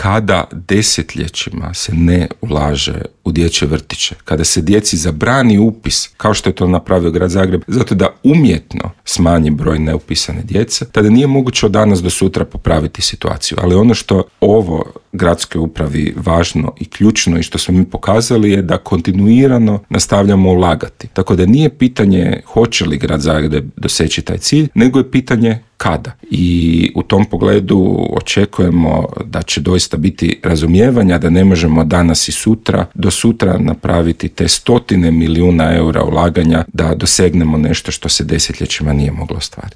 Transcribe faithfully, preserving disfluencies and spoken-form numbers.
kada desetljećima se ne ulaže u dječje vrtiće, kada se djeci zabrani upis, kao što je to napravio Grad Zagreb, zato da umjetno smanji broj neupisane djece, tada nije moguće od danas do sutra popraviti situaciju. Ali ono što ovo gradskoj upravi važno i ključno i što smo mi pokazali je da kontinuirano nastavljamo ulagati. Tako da nije pitanje hoće li Grad Zagreb doseći taj cilj, nego je pitanje kada. I u tom pogledu očekujemo da će doista biti razumijevanja da ne možemo danas i sutra do sutra napraviti te stotine milijuna eura ulaganja da dosegnemo nešto što se desetljećima nije moglo ostvariti.